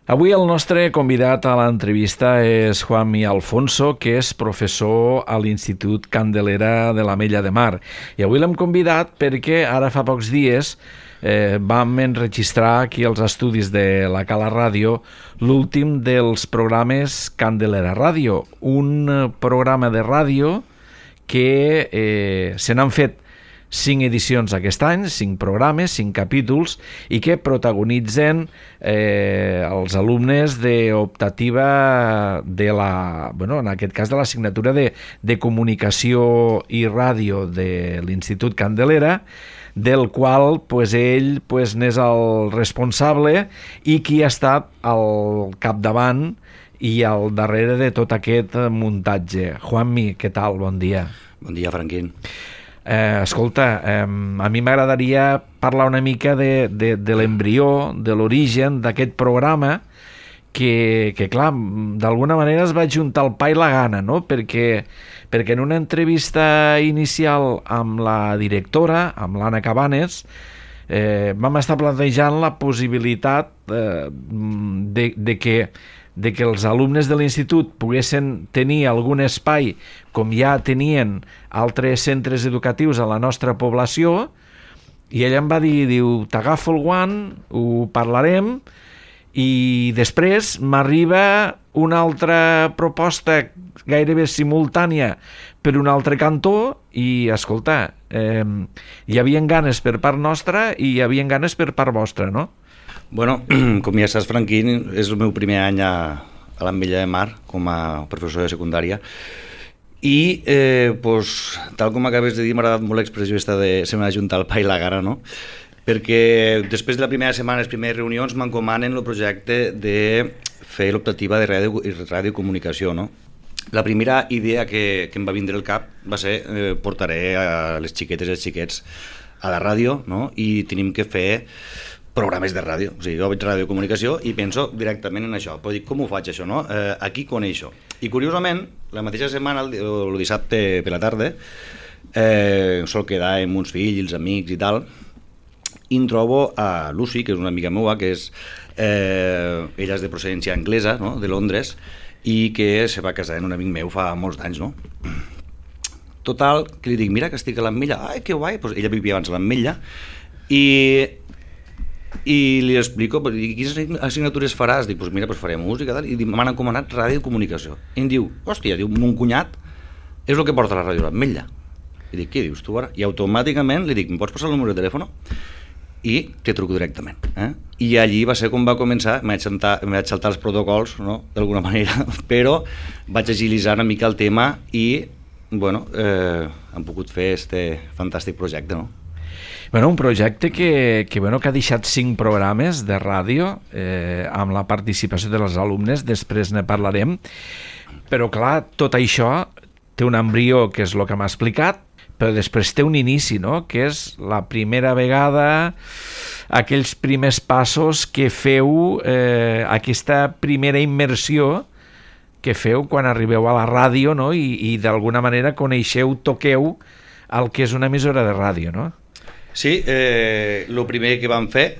Avui el nostre convidat a l'entrevista és Juanmi Alfonso, que és professor a l'Institut Candelera de l'Ametlla de Mar. I avui l'hem convidat perquè ara fa pocs dies vam enregistrar aquí als estudis de la Cala Ràdio l'últim dels programes Candelera Ràdio, un programa de ràdio que se n'han fet 5 edicions aquest any, 5 programes, 5 capítols, i que protagonitzen els alumnes d'optativa de la, en aquest cas de l'assignatura de Comunicació i Ràdio de l'Institut Candelera, del qual ell n'és el responsable i qui ha estat al capdavant i al darrere de tot aquest muntatge. Juanmi, què tal? Bon dia. Bon dia, Franquín. Escolta, a mi m'agradaria parlar una mica de l'embrió, de l'origen d'aquest programa que clar, d'alguna manera es va juntar el pa i la gana, no? Perquè en una entrevista inicial amb la directora, amb l'Anna Cabanes, vam estar plantejant la possibilitat de que els alumnes de l'institut poguessin tenir algun espai com ja tenien altres centres educatius a la nostra població, i ella em va dir, t'agafo el guant, ho parlarem, i després m'arriba una altra proposta gairebé simultània per un altre cantó i, escolta, hi havia ganes per part nostra i hi havia ganes per part vostra, no? Bueno, com ja saps, Franquín, és el meu primer any a l'Ametlla de Mar com a professor de secundària i, tal com acabes de dir, m'ha agradat molt l'expressió de se m'ha juntat el pa i la gana, no? Perquè després de la primera setmana, les primeres reunions, m'encomanen el projecte de fer l'optativa de radiocomunicació, no? La primera idea que em va vindre al cap va ser portaré a les xiquetes i els xiquets a la ràdio, no? I tenim que fer programes de ràdio, o sigui, jo veig radiocomunicació i penso directament en això, però dic, com ho faig això, no? Aquí coneixo. I curiosament, la mateixa setmana, el dissabte per la tarda, sol quedar amb uns fills, amics i tal, i em trobo a Lucy, que és una amiga meva, que és, ella és de procedència anglesa, no? De Londres, i que se va casar amb un amic meu fa molts anys, no? Total, que li dic, mira que estic a l'Ametlla, ai, que guai, pues ella vivia abans a l'Ametlla, i li explico, quines assignatures faràs? Dic, pues mira, pues faré música, tal, i m'han encomanat ràdio i comunicació. I em diu, hòstia, mon cunyat és el que porta la ràdio a l'Ametlla. I dic, què dius tu ara? I automàticament li dic, em pots passar el número de telèfon? I te truco directament. I allí va ser com va començar, em vaig saltar els protocols, no? D'alguna manera, però vaig agilitzar una mica el tema i, hem pogut fer este fantàstic projecte, no? Un projecte que ha deixat 5 programes de ràdio amb la participació dels alumnes, després ne parlarem, però clar, tot això té un embrió, que és el que m'ha explicat, però després té un inici, no? Que és la primera vegada, aquells primers passos que feu, aquesta primera immersió que feu quan arribeu a la ràdio, no? I d'alguna manera coneixeu, toqueu el que és una emissora de ràdio, no? Sí, el primer que vam fer,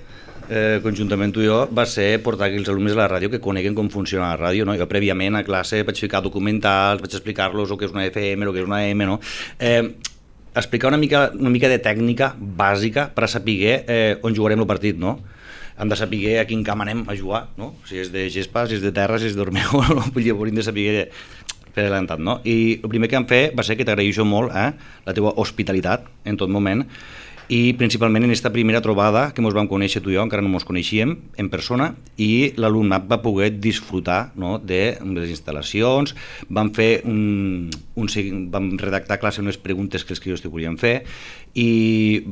conjuntament tu i jo, va ser portar aquí els alumnes a la ràdio que coneguen com funciona la ràdio, no? Jo prèviament a classe vaig ficar documentals, vaig explicar-los el que és una FM, el que és una AM, no? Explicar una mica de tècnica bàsica per a saber on jugarem el partit, no? Hem de saber a quin camp anem a jugar, no? Si és de gespa, si és de terra, si és d'Ormeo, no? Hauríem de saber per adelantat, no? I el primer que vam fer va ser que t'agraeixo molt la teva hospitalitat en tot moment, i principalment en aquesta primera trobada que ens vam conèixer tu i jo, encara no ens coneixíem en persona, i l'alumnat va poder disfrutar, no, de les instal·lacions, vam redactar a classe unes preguntes que els crios te volien fer, i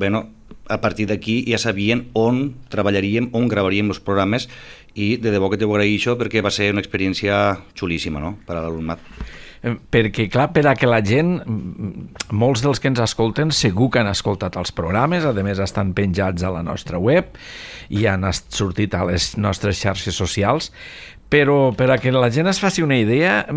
a partir d'aquí ja sabien on treballaríem, on gravaríem els programes, i de debò que t'ho agraeixo perquè va ser una experiència xulíssima, no?, per a l'alumnat. Perquè, clar, per a que la gent, molts dels que ens escolten segur que han escoltat els programes, a més estan penjats a la nostra web i han sortit a les nostres xarxes socials, però per a que la gent es faci una idea,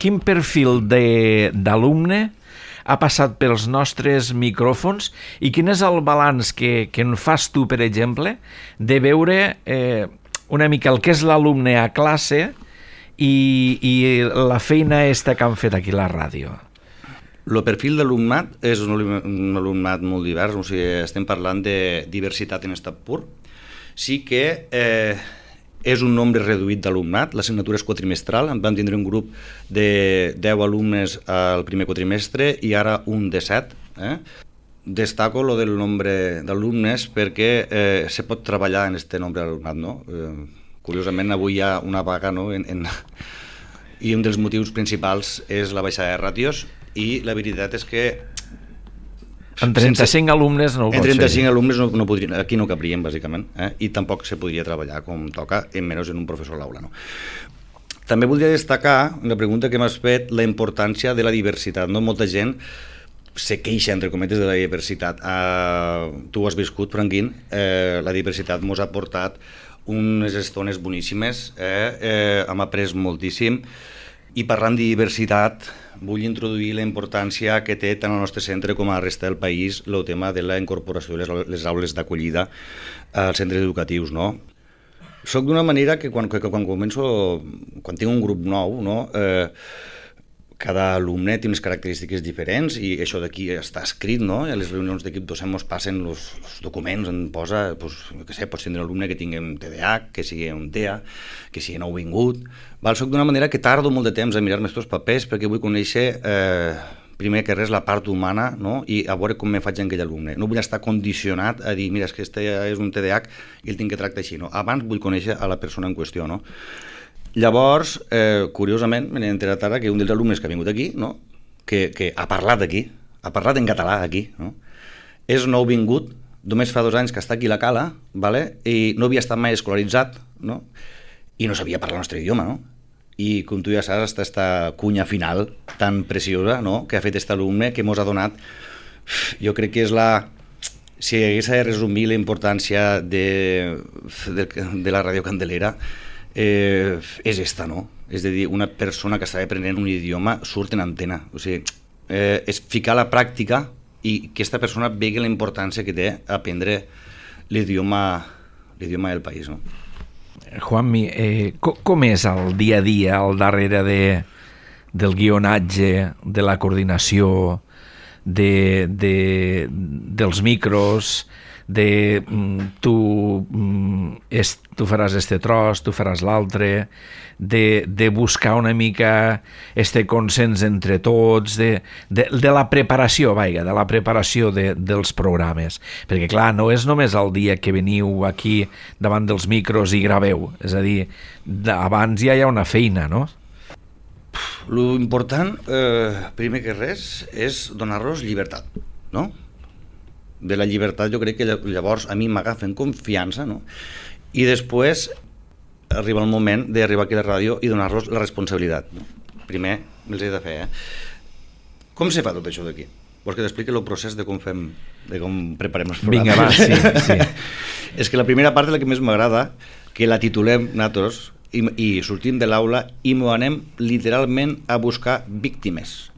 quin perfil d'alumne ha passat pels nostres micròfons i quin és el balanç que en fas tu, per exemple, de veure una mica el que és l'alumne a classe i la feina aquesta que han fet aquí a la ràdio. El perfil d'alumnat és un alumnat molt divers, o sigui, estem parlant de diversitat en estat pur. Sí que és un nombre reduït d'alumnat, l'assignatura és quatrimestral, vam tindre un grup de 10 alumnes al primer quatrimestre i ara un de 7. Destaco lo del nombre d'alumnes perquè se pot treballar en aquest nombre d'alumnat, no? Curiosament, avui hi ha una vaga, no? I un dels motius principals és la baixada de ràtios i la veritat és que en 35 alumnes no ho pots fer. En 35 alumnes no podrien, aquí no cabrien, bàsicament, i tampoc se podria treballar com toca, menys en un professor a l'aula. No? També voldria destacar, la pregunta que m'has fet, la importància de la diversitat. No? Molta gent se queixa, entre cometes, de la diversitat. Tu ho has viscut, Franquín, la diversitat mos ha portat unes estones boníssimes, hem après moltíssim, i parlant de diversitat vull introduir la importància que té tant al nostre centre com a la resta del país el tema de la incorporació de les aules d'acollida als centres educatius. No? Soc d'una manera que quan tinc un grup nou, no? Cada alumne té unes característiques diferents i això d'aquí està escrit, no? A les reunions d'equip docent ens passen els documents, en posa, pots tindre un alumne que tingui un TDAH, que sigui un TEA, que sigui nouvingut. Soc d'una manera que tardo molt de temps a mirar-me aquests papers perquè vull conèixer, primer que res, la part humana, no? I a veure com me faig amb aquell alumne. No vull estar condicionat a dir, mira, és que este és un TDAH i el tinc que tractar així. No? Abans vull conèixer a la persona en qüestió, no? Llavors, curiosament, m'he enterat ara que un dels alumnes que ha vingut aquí, no? que ha parlat aquí, ha parlat en català aquí, no? És nouvingut, només fa 2 anys que està aquí a la Cala, vale? I no havia estat mai escolaritzat, no? I no sabia parlar el nostre idioma, no? I com tu ja saps, aquesta cunya final tan preciosa, no? Que ha fet aquest alumne, que mos ha donat, jo crec que és la... Si hagués de resumir la importància de la Ràdio Candelera, és esta, no? És a dir, una persona que estava aprenent un idioma surt en antena. O sigui, és ficar a la pràctica i que aquesta persona vegi la importància que té aprendre l'idioma del país, no? Juanmi, com és el dia a dia al darrere del guionatge, de la coordinació, dels micros, tu faràs este tros, tu faràs l'altre, de buscar una mica este consens entre tots, de la preparació, de la preparació dels programes. Perquè, clar, no és només el dia que veniu aquí davant dels micros i graveu, és a dir, abans ja hi ha una feina, no? Lo important, primer que res, és donar-los llibertat, no? De la llibertat jo crec que llavors a mi m'agafen confiança, no? I després arriba el moment d'arribar aquí a la ràdio i donar-los la responsabilitat, no? Primer els he de fer, Com se fa tot això d'aquí? Vols que t'expliqui el procés de com preparem els programes? Vinga, va, sí. És que la primera part és la que més m'agrada, que la titulem nosaltres i sortim de l'aula i m'ho anem literalment a buscar víctimes,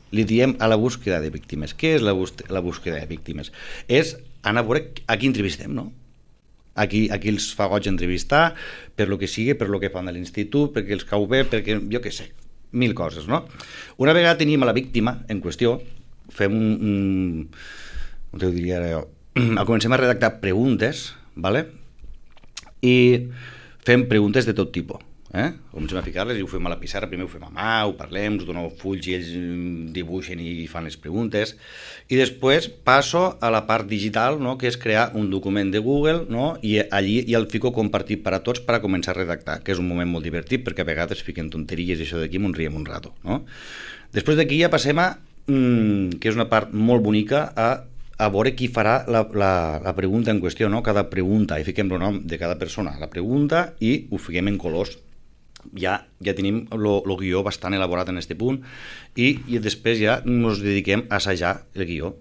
Li diem a la búsqueda de víctimes. Què és la búsqueda de víctimes? És anar a veure a qui entrevistem, no? A qui els fa goig entrevistar, per lo que sigui, per lo que fan a l'institut, perquè els cau bé, perquè jo què sé, 1000 coses, no? Una vegada tenim a la víctima en qüestió, fem com t'ho diria ara jo, comencem a redactar preguntes, ¿vale? I fem preguntes de tot tipus. Comencem a ficar-les i ho fem a la pissarra, primer ho fem a mà, ho parlem, us dono fulls i ells dibuixen i fan les preguntes, i després passo a la part digital, no? Que és crear un document de Google, no? I allí ja el fico compartit per a tots per a començar a redactar, que és un moment molt divertit perquè a vegades fiquen tonteries i això d'aquí m'ho riem un rato, no? Després d'aquí ja passem a, que és una part molt bonica, a veure qui farà la pregunta en qüestió, no? Cada pregunta, i fiquem el nom de cada persona a la pregunta i ho fiquem en colors. Ja tenim el guió bastant elaborat en aquest punt i després ja ens dediquem a assajar el guió.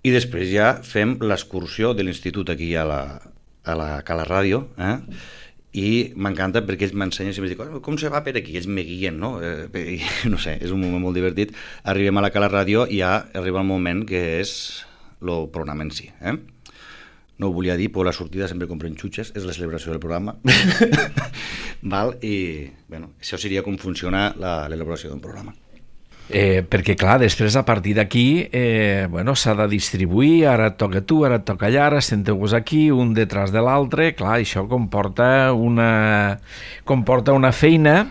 I després ja fem l'excursió de l'institut aquí a la Cala Ràdio, i m'encanta perquè ells m'ensenyen i em diuen com se va per aquí, ells me guien, no? No sé, és un moment molt divertit. Arribem a la Cala Ràdio i ja arriba el moment que és el programa en si. no ho volia dir, però la sortida sempre compren xutxes, és la celebració del programa. Val? I, bueno, això seria com funciona l'elaboració d'un programa. Perquè, clar, després, a partir d'aquí, bueno, s'ha de distribuir, ara et toca tu, ara et toca allà, ara senteu-vos aquí, un detrás de l'altre, clar, això comporta una feina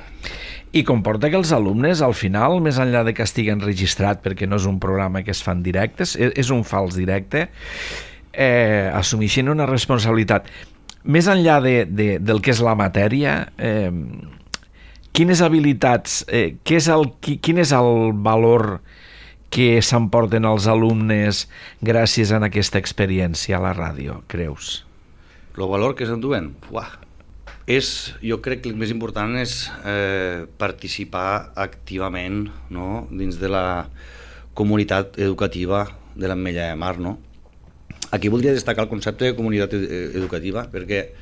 i comporta que els alumnes, al final, més enllà de que estiguen registrat, perquè no és un programa que es fan directes, és un fals directe, assumeixen una responsabilitat. Més enllà del que és la matèria, quines habilitats, quin és el valor que s'emporten els alumnes gràcies a aquesta experiència a la ràdio, creus? El valor que s'enduen? Jo crec que el més important és participar activament, no?, dins de la comunitat educativa de l'Ametlla de Mar, no? Aquí voldria destacar el concepte de comunitat educativa, perquè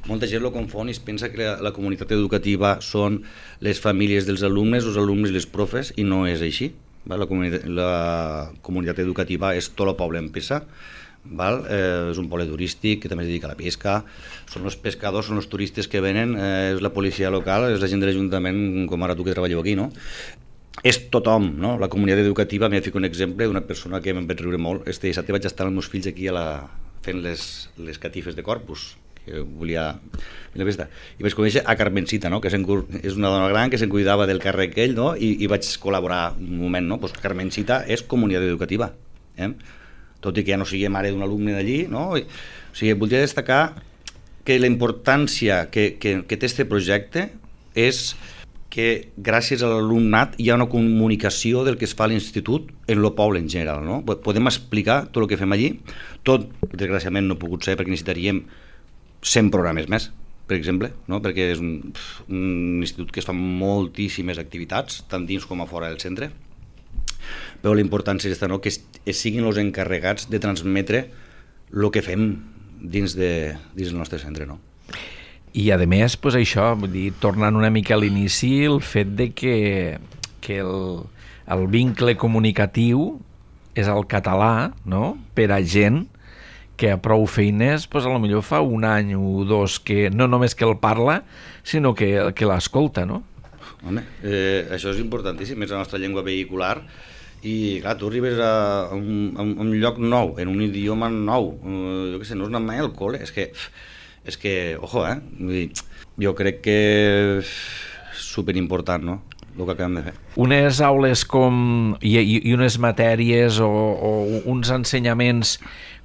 molta gent lo confon i es pensa que la comunitat educativa són les famílies dels alumnes, els alumnes i les profes, i no és així. La comunitat educativa és tot el poble en peça, és un poble turístic que també es dedica a la pesca, són els pescadors, són els turistes que venen, és la policia local, és la gent de l'Ajuntament, com ara tu que treballeu aquí, no? És tothom, no? La comunitat educativa, m'he ficat un exemple d'una persona que me'n vaig riure molt. Este dissabte vaig estar amb els meus fills aquí fent les catifes de Corpus, que volia la festa, i vaig conèixer a Carmencita, no?, que és una dona gran que se'n cuidava del càrrec aquell, no?, i vaig col·laborar un moment, no? Pues Carmencita és comunitat educativa, tot i que ja no sigui mare d'un alumne d'allí, no? O sigui, voldria destacar que la importància que té aquest projecte és que gràcies a l'alumnat hi ha una comunicació del que es fa a l'institut en el poble en general, no? Podem explicar tot el que fem allí, tot, desgraciadament no ha pogut ser perquè necessitaríem 100 programes més, per exemple, no? Perquè és un institut que es fa moltíssimes activitats, tant dins com a fora del centre, però la importància és no? Que siguin els encarregats de transmetre el que fem dins del nostre centre, no? I, a més, pues això, vull dir, tornant una mica a l'inici, el fet de que el vincle comunicatiu és el català, no?, per a gent que a prou feines, pues, a lo millor fa un any o dos que no només que el parla, sinó que l'escolta, no? Home, això és importantíssim, és la nostra llengua vehicular, i clar, tu arribes a un lloc nou, en un idioma nou, jo què sé, no has anat mai al col·le, és que, ojo, jo crec que és superimportant, no?, el que acabem de fer. Unes aules i unes matèries o uns ensenyaments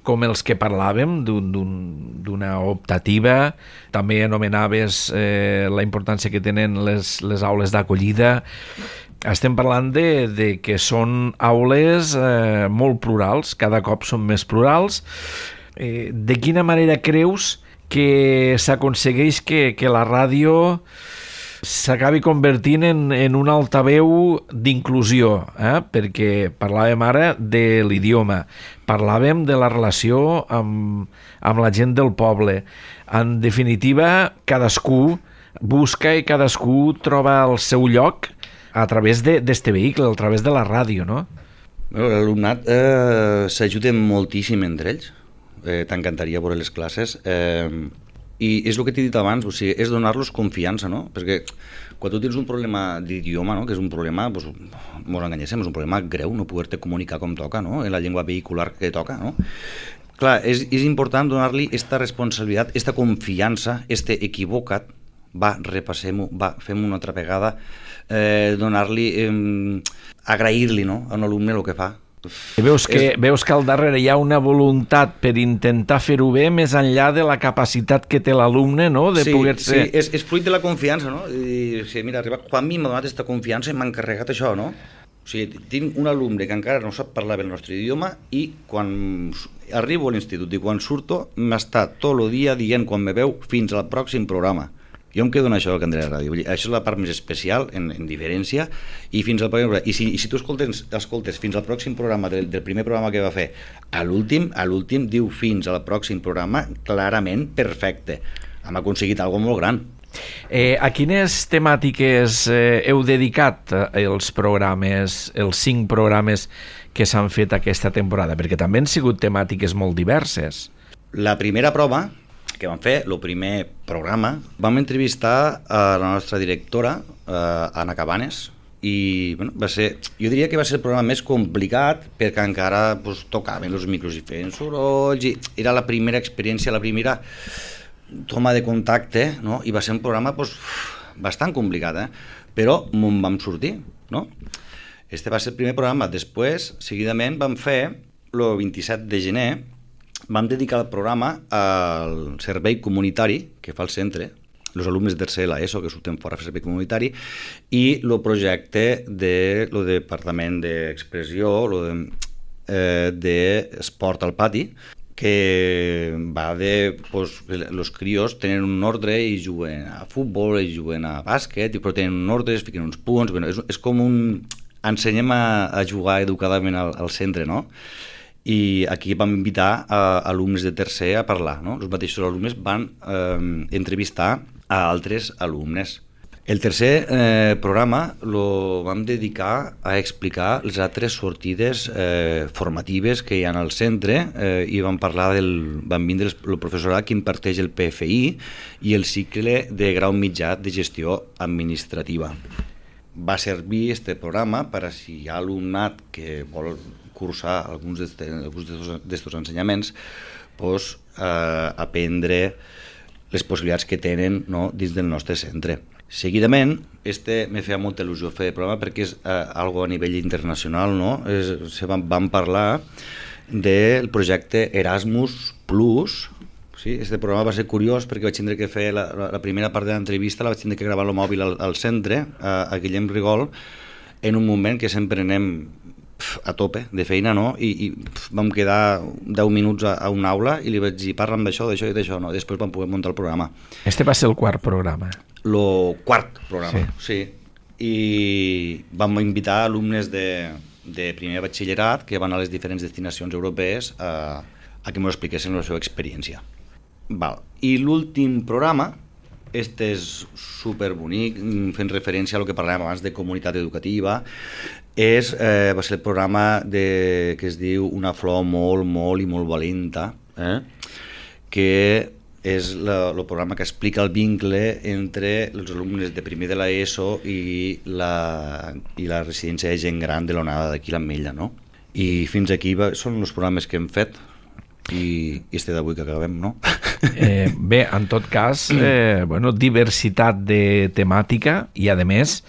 com els que parlàvem, d'una optativa, també anomenaves la importància que tenen les aules d'acollida. Estem parlant de que són aules molt plurals, cada cop són més plurals. De quina manera creus que s'aconsegueix que la ràdio s'acabi convertint en un altaveu d'inclusió, perquè parlàvem ara de l'idioma, parlàvem de la relació amb la gent del poble. En definitiva, cadascú busca i cadascú troba el seu lloc a través d'este vehicle, a través de la ràdio, no? L'alumnat s'ajuda moltíssim entre ells. T'encantaria veure les classes, i és el que t'he dit abans, o sigui, és donar-los confiança, no? Perquè quan tu tens un problema d'idioma, no?, que és un problema, doncs, mos enganyéssim, és un problema greu no poder-te comunicar com toca, no?, en la llengua vehicular que toca, no? Clar, és important donar-li esta responsabilitat, esta confiança, este equivocat, va, repassem-ho, va, fem-ho una altra vegada, donar-li, agrair-li, no?, a un alumne el que fa. Veus que al darrere hi ha una voluntat per intentar fer-ho bé més enllà de la capacitat que té l'alumne, no?, de poder-se... Sí, és fruit de la confiança, no? I, mira, Juanmi m'ha donat aquesta confiança i m'ha encarregat això, no? O sigui, tinc un alumne que encara no sap parlar bé el nostre idioma i quan arribo a l'institut i quan surto m'està tot el dia dient quan me veu fins al pròxim programa. Jo em quedo en això del Candela Ràdio. Això és la part més especial, en diferència, i fins al pròxim programa. I si tu escoltes fins al pròxim programa del primer programa que va fer, a l'últim diu fins al pròxim programa clarament perfecte. Hem aconseguit alguna molt gran. A quines temàtiques heu dedicat els programes, els 5 programes que s'han fet aquesta temporada? Perquè també han sigut temàtiques molt diverses. La primera prova que vam fer, el primer programa, vam entrevistar a la nostra directora, Anna Cabanes, i bueno, jo diria que va ser el programa més complicat perquè encara tocaven els micros i feien sorolls, i era la primera experiència, la primera toma de contacte, no? I va ser un programa bastant complicat, però me'n vam sortir, no? Este va ser el primer programa. Després, seguidament, vam fer el 27 de gener, vam dedicar el programa al servei comunitari que fa el centre, els alumnes de tercer de l'ESO que surten fora a fer servei comunitari, i el projecte del Departament d'Expressió, d'Esport al Pati, que va de... els crios tenen un ordre i juguen a futbol, i juguen a bàsquet, però tenen un ordre, es fiquen uns punts... És com un... Ensenyem a jugar educadament al centre, no? I aquí vam invitar alumnes de tercer a parlar, no? Els mateixos alumnes van entrevistar a altres alumnes. El tercer programa lo vam dedicar a explicar les altres sortides formatives que hi ha al centre, i vam vindre el professorat que imparteix el PFI i el cicle de grau mitjà de gestió administrativa. Va servir este programa per a si hi ha alumnat que vol cursar alguns d'estos ensenyaments, aprendre les possibilitats que tenen, no, dins del nostre centre. Seguidament, me feia molta il·lusió fer el programa perquè és algo a nivell internacional, no? Vam parlar del projecte Erasmus Plus. Sí, este programa va ser curiós perquè vaig tindre que fer la primera part de l'entrevista, la vaig tindre que gravar al mòbil al centre, a Guillem Rigol, en un moment que sempre anem a tope de feina, no? I vam quedar 10 minuts a una aula i li vaig dir, parla'm d'això, d'això i d'això, no? Després vam poder muntar el programa. Este va ser el quart programa. El quart programa, sí. I vam invitar alumnes de primer batxillerat que van a les diferents destinacions europees a que ens expliquessin la seva experiència. I l'últim programa, este és superbonic, fent referència a lo que parlàvem abans de comunitat educativa, va ser el programa que es diu Una flor molt, molt i molt valenta, que és el programa que explica el vincle entre els alumnes de primer de l'ESO i la residència de gent gran de l'onada d'aquí l'Ametlla, no? I fins aquí són els programes que hem fet, i este d'avui que acabem, no? Bé, en tot cas, diversitat de temàtica i, a més,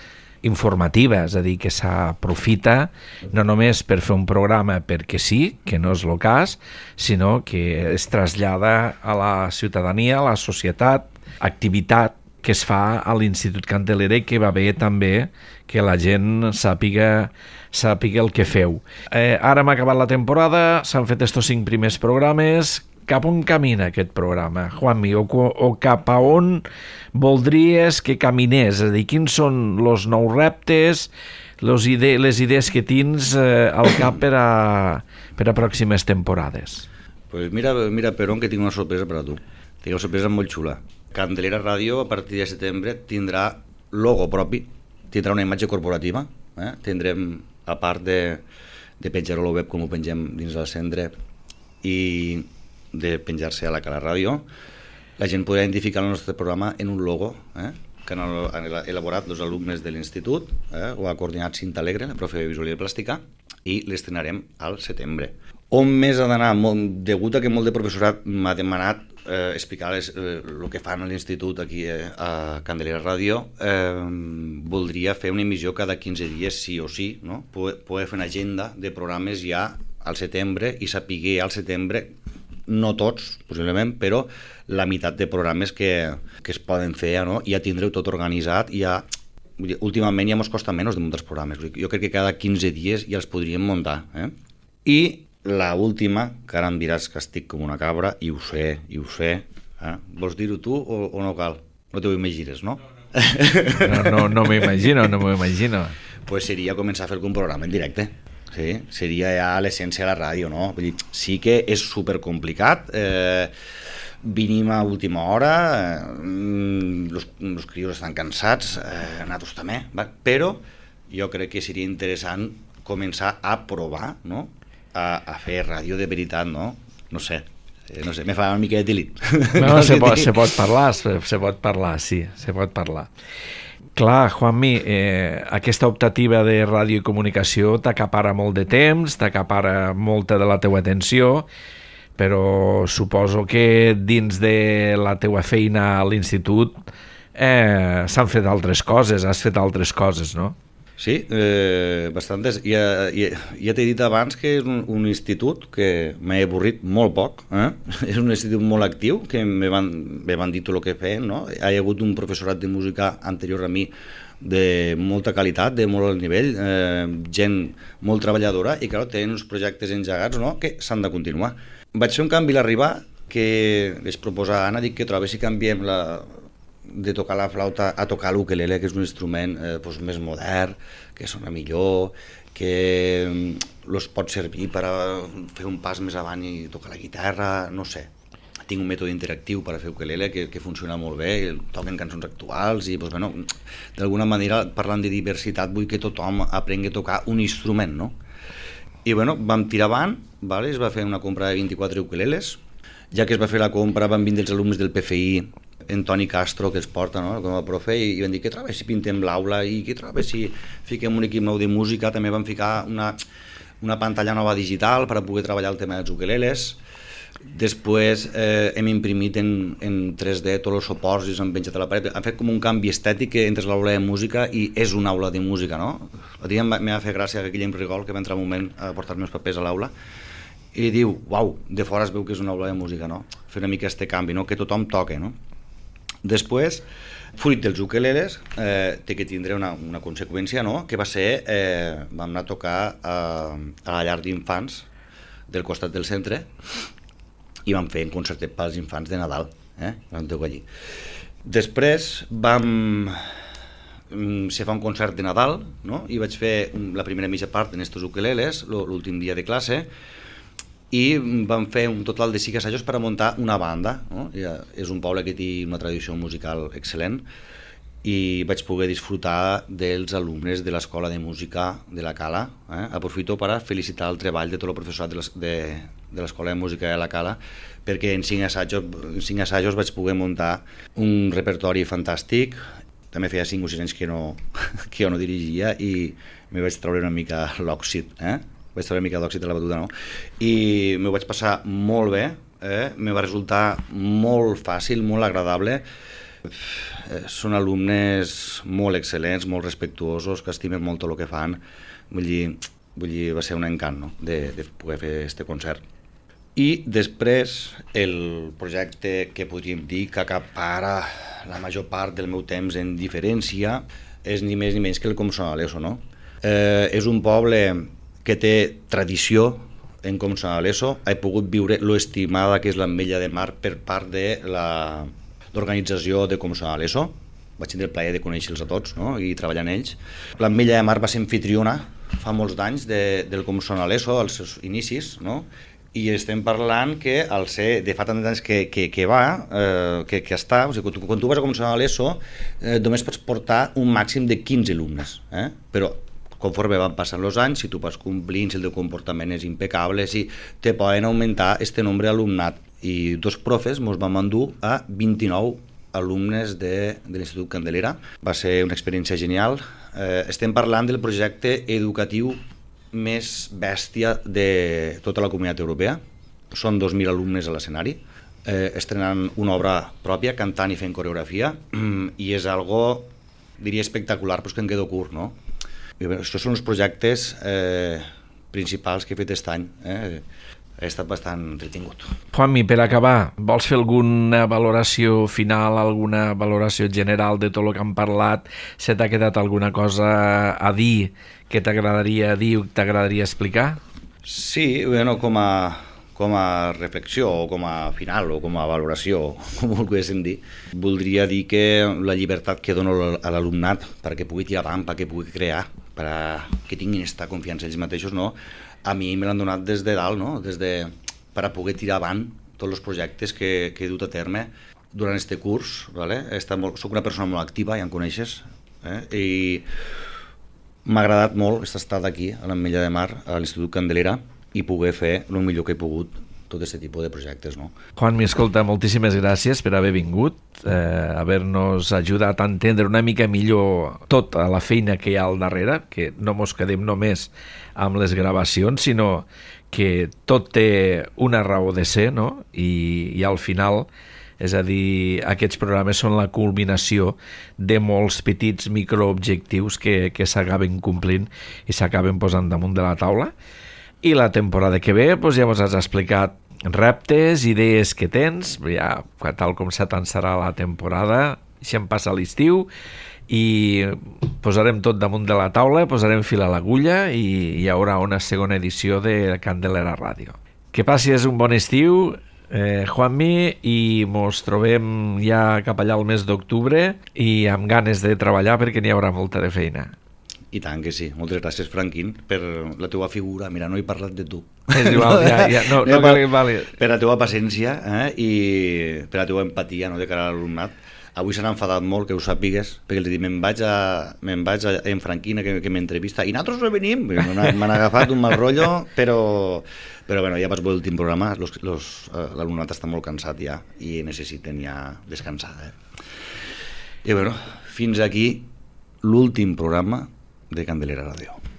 informativa, és a dir, que s'aprofita no només per fer un programa perquè sí, que no és el cas, sinó que es trasllada a la ciutadania, a la societat, activitat que es fa a l'Institut Candelera i que va bé també que la gent sàpiga el que feu. Ara hem acabat la temporada, s'han fet estos 5 primers programes. Cap on camina aquest programa, Juanmi? O cap a on voldries que caminés? És a dir, quins són els nous reptes, les idees que tens al cap per a pròximes temporades? Pues mira, Perón, que tinc una sorpresa per a tu. Tinc una sorpresa molt xula. Candelera Ràdio, a partir de setembre, tindrà logo propi, tindrà una imatge corporativa, tindrem, a part de penjar-ho a la web com ho pengem dins del centre i de penjar-se a la Cala Ràdio, la gent podrà identificar el nostre programa en un logo que han elaborat els alumnes de l'institut, ho ha coordinat Cinta Alegre, la profe de visualitat plàstica, i l'estrenarem al setembre. On més ha d'anar? Degut a que molt de professorat m'ha demanat explicar el que fan a l'institut aquí a Candelera Ràdio, voldria fer una emissió cada 15 dies sí o sí, no? Poder fer una agenda de programes ja al setembre i saber al setembre, no tots, possiblement, però la meitat de programes que es poden fer, no? Ja tindreu tot organitzat i ja... Últimament ja ens costa menys de muntar els programes. Jo crec que cada 15 dies ja els podríem muntar. I l'última, que ara em diràs que estic com una cabra, i ho sé. Vols dir-ho tu o no cal? No t'ho imagines, no? No m'ho imagino. Pues seria començar a fer un programa en directe. Sí, seria ja l'essència de la ràdio, no? Vull dir, sí que és supercomplicat, venim a última hora, els crios estan cansats, nosaltres també, però jo crec que seria interessant començar a provar, no?, a fer ràdio de veritat, no? No sé, no sé, me fa una mica de delit. No, se pot parlar, sí, se pot parlar. Clar, Juanmi, aquesta optativa de ràdio i comunicació t'acapara molt de temps, t'acapara molta de la teua atenció, però suposo que dins de la teua feina a l'institut s'han fet altres coses, has fet altres coses, no? Sí, bastantes. Ja t'he dit abans que és un institut que m'he avorrit molt poc. És un institut molt actiu, que me van dir tot el que feien, no? Hi ha hagut un professorat de música anterior a mi de molta qualitat, de molt alt nivell, gent molt treballadora i, clar, tenen uns projectes engegats, no?, que s'han de continuar. Vaig fer un canvi a l'arribar, que es proposa a Anna, dic que trobo si canviem de tocar la flauta a tocar l'ukelele, que és un instrument més modern, que sona millor, que els pot servir per a fer un pas més avant i tocar la guitarra, no sé. Tinc un mètode interactiu per a fer ukelele que funciona molt bé, toquen cançons actuals i, d'alguna manera, parlant de diversitat, vull que tothom aprengui a tocar un instrument, no? I vam tirar avant, es va fer una compra de 24 ukeleles. Ja que es va fer la compra van vindre els alumnes del PFI, en Toni Castro, que els porta, no?, com a profe, i van dir, què trobes si pintem l'aula, i què trobes si fiquem un equip nou de música. També van ficar una pantalla nova digital per a poder treballar el tema dels ukeleles. Després hem imprimit en 3D tots els suports i s'han penjat a la paret. Han fet com un canvi estètic que entres a l'aula de música i és una aula de música, no? El dia m'ha fet gràcia que Guillem Rigol, que va entrar un moment a portar-me els papers a l'aula, i diu, uau, de fora es veu que és una aula de música, no? Fer una mica este canvi, no?, que tothom toque, no? Després, fruit dels ukeleles, té que tindre una conseqüència, no?, que va ser, vam anar a tocar a la llar d'infants del costat del centre i vam fer un concertet pels infants de Nadal, vam tocar allí. Després se fa un concert de Nadal, no?, i vaig fer la primera mitja part en estos ukeleles, l'últim dia de classe, i vam fer un total de 5 assajos per a muntar una banda, no? És un poble que té una tradició musical excel·lent i vaig poder disfrutar dels alumnes de l'Escola de Música de la Cala. Aprofito per a felicitar el treball de tot el professorat de l'Escola de Música de la Cala, perquè en 5 assajos vaig poder muntar un repertori fantàstic. També feia 5 o 6 anys que jo no dirigia i me vaig treure una mica l'òxid, vaig treure una mica d'òxid a la batuda, no? I m'ho vaig passar molt bé, me va resultar molt fàcil, molt agradable. Són alumnes molt excel·lents, molt respectuosos, que estimen molt tot el que fan. Vull dir, va ser un encant, no?, de poder fer aquest concert. I després, el projecte que podríem dir que acapara la major part del meu temps en diferència és ni més ni menys que el Com sona l'ESO, no? És un poble que té tradició en Com sona l'ESO. He pogut viure l'estimada que és l'Ametlla de Mar per part de l'organització de Com sona l'ESO. Vaig tindre el plaer de conèixer-los a tots, no?, i treballar en ells. L'Ametlla de Mar va ser anfitriona fa molts d'anys del Com sona l'ESO, als seus inicis, no?, i estem parlant que al ser de fa tants anys que està, o sigui, quan tu vas a Com sona l'ESO només pots portar un màxim de 15 alumnes, però conforme van passant els anys, si tu vas complint, si el teu comportament és impecable, si te poden augmentar este nombre d'alumnat. I 2 profes ens vam endur a 29 alumnes de l'Institut Candelera. Va ser una experiència genial. Estem parlant del projecte educatiu més bèstia de tota la Comunitat Europea. Són 2.000 alumnes a l'escenari, estrenant una obra pròpia, cantant i fent coreografia, i és algo, diria, espectacular, però és que em quedo curt, no? Això són els projectes principals que he fet aquest any. He estat bastant entretingut. Juanmi, per acabar, vols fer alguna valoració final, alguna valoració general de tot el que hem parlat? Se t'ha quedat alguna cosa a dir que t'agradaria dir o t'agradaria explicar? Sí, com a reflexió, o com a final, o com a valoració, com ho volguéssim dir, voldria dir que la llibertat que dono a l'alumnat perquè pugui tirar avant, perquè pugui crear, perquè tinguin aquesta confiança ells mateixos, no? A mi me l'han donat des de dalt, no? Per a poder tirar avant tots els projectes que he dut a terme durant aquest curs. Soc una persona molt activa, ja em coneixes, i m'ha agradat molt estar aquí, a l'Ametlla de Mar, a l'Institut Candelera, i poder fer el millor que he pogut tot aquest tipus de projectes, no? Juanmi, escolta, moltíssimes gràcies per haver vingut, haver-nos ajudat a entendre una mica millor tota la feina que hi ha al darrere, que no mos quedem només amb les gravacions, sinó que tot té una raó de ser, no? I al final, és a dir, aquests programes són la culminació de molts petits microobjectius que s'acaben complint i s'acaben posant damunt de la taula. I la temporada que ve doncs ja ens has explicat reptes, idees que tens, ja tal com s'atançarà la temporada, deixem passar l'estiu i posarem tot damunt de la taula, posarem fil a l'agulla i hi haurà una segona edició de Candelera Ràdio. Que passis un bon estiu, Juanmi, i mos trobem ja cap allà al mes d'octubre i amb ganes de treballar perquè n'hi haurà molta de feina. I tant que sí. Moltes gràcies, Franquín, per la teva figura. Mira, no he parlat de tu. És igual, no cal que vali. Per la teva paciència i per la teva empatia, no, de cara a l'alumnat. Avui s'han enfadat molt, que ho sàpigues, perquè els dic, me'n vaig en Franquina, que m'entrevista, i nosaltres no venim. M'han agafat un mal rotllo, però bueno, ja vaig veure l'últim programa, l'alumnat està molt cansat ja, i necessiten ja descansar. I bueno, fins aquí l'últim programa de Candelera Ràdio.